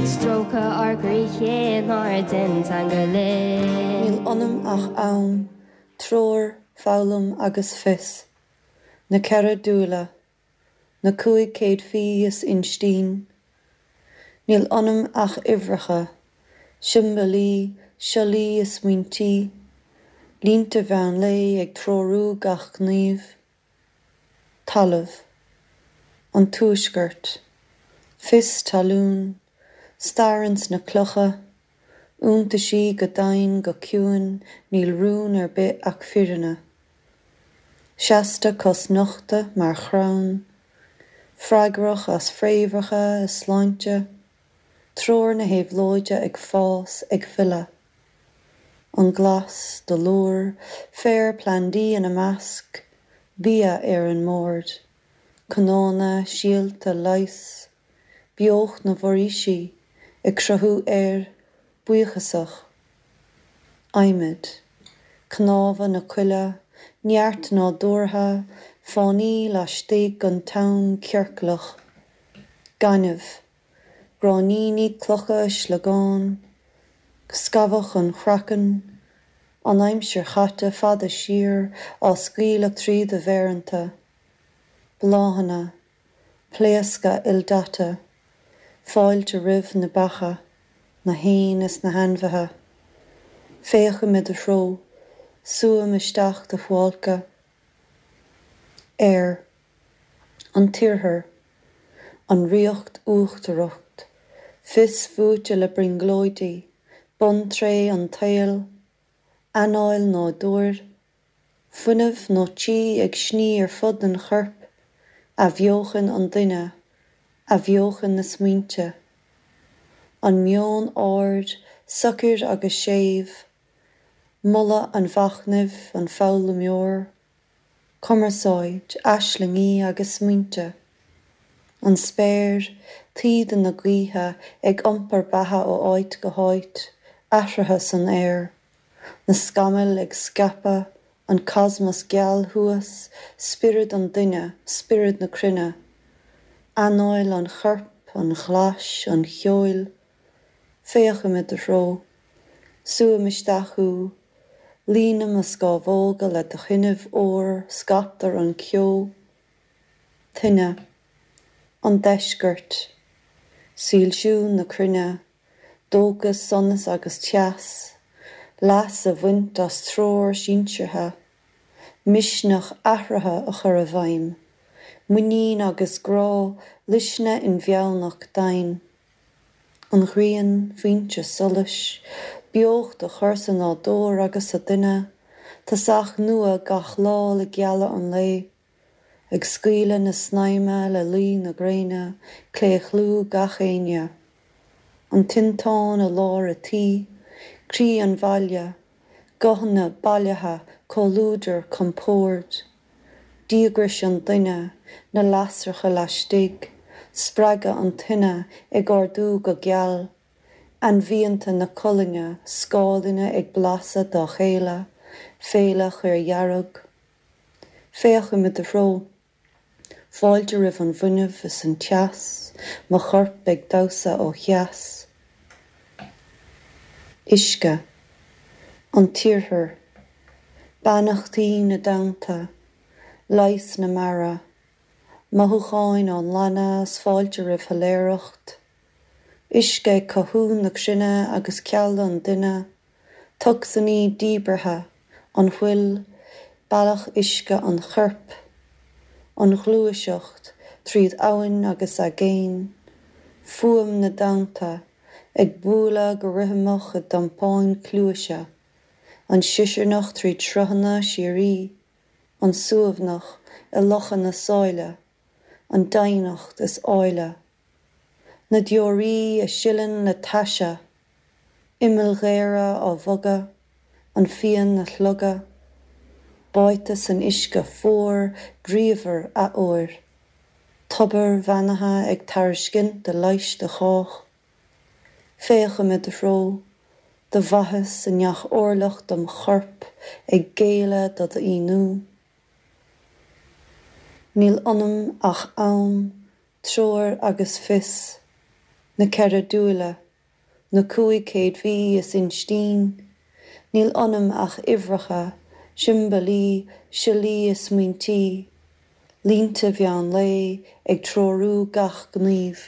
Stróiceadh ár gcroíthe nár dhein teanga linn. Níl ionam ach am, treoir, foghlaim agus fios. Na 4 dúile. Na 5 céadfaí is instinn. Níl ionam ach uimhreacha, siombailí, siollaí is smaointí, línte mheán lae ag treorú gach gníomh. Talamh. An Tuaisceart. Fios talún. Stair ins na clocha. Iontaisí go domhain go ciúin níl rún ar bith ach firinne. Seasta cosnochta mar chrann. Freagrach as fréamhacha is sláinte. Treoir na héabhlóide ag fás, ag filleadh. An glas, dolúr, féar plandaí ina measc, bia ar an mbord. Cnónna, síolta, leighis. Beocht na bhforaoisí, ag cruthú aeir, buíochasach. Adhmad. Cnámha na coille, neart nádúrtha, fánaí laistigh den t-am ciorclach. Gaineamh. Gráinníní, clocha, sliogáin, scamhadh an chraicinn, an aimsir chaite fada siar á scaoileadh trí do mhéireanta, bláthanna, pléascadh ildaite, fáilte roimh na beacha, na héin is na hainmhithe. Féachaim i do threo, súim isteach do shuáilce. Aer. An tIarthar. An Ríocht Uachtarach, fios fuaite le brionglóidí, buntréith an tsaoil, anáil nádúir, fuinneamh nó chi ag sní ar fud an choirp, athbheochan an duine, athbheochan na smaointe. An meon ard, socair agus séimh, moladh an mhachnaimh, an foghlaimeoir. Cumarsáid, aislingí agus smaointe. An spéir, taoide na gaoithe ag iompar beatha ó áit go háit, athruithe san aer. Na scamaill ag scaipeadh, an cosmos geal thuas, spiorad an duine, spiorad na cruinne. Anáil an choirp, an ghlais, an cheoil. Féachaim i do threo. Súim isteach thú. Líonaim mo scámhóga le do thaitneamh óir scaiptear an ceo. Tine. An Deisceart. Soilsiú na cruinne. Dóchas, sonas agus teas. Leas a bhaint as treoir sinseartha. Misneach athruithe a chur i bhfeidhm. Muinín agus grá, luisne inmheánach domhain. An ghrian, foinse solais, beocht a chur sa nádúr agus sa duine, tosach nua gach lá le gealadh an lae, ag scaoileadh na snaidhme le luí na gréine, claochlú gach éinne. An tinteán i lár a' tí, croí an bhaile, guthanna bailithe, comhluadar, compord. Díograis an duine, na lasracha laistigh, spreagadh an tine ag ardú go geal, ainmhianta na colainne, scáileanna ag blasadh dá chéile, féile chaordhearg. Féachaim i do threo. Fáilte roimh an bhfuinneamh is an teas, mo chorp ag damhsa ó theas. Uisce. An tIarthar. Beannachtaí na dtonnta. Leigheas na mara. Mothúcháin á nglanadh is fáilte roimh shoiléireacht. Uisce ag cothú na cruinne agus cealla an duine. Tocsainí díbeartha. An fhuil. Bealach uisce an choirp. An ghluaiseacht tríd abhainn agus aigéin. Fuaim na dtonnta ag bualadh go rithimeach i dtiompáin cluaise. An siosarnach tríd sruthanna síoraí, an suaimhneach i lochanna sáile, an doimhneacht is áille. Na deoraí a sileann le taise, imill ghéara á bhogadh, an phian a shlogadh, báite san uisce fuar bríomhar athuair, tobair bheannaithe ag tairiscint a leighis do chách. Féachaim i do threo, do mhaitheas i ngach orlach dom chorp ag géilleadh do d'íonú. Níl ionam ach am, treoir agus fios. Na 4 dúile. Na 500 mhí is instinn. Níl ionam ach uimhreacha, siombailí, siollaí is smaointí. Línte mheán lae ag treorú gach gníomh.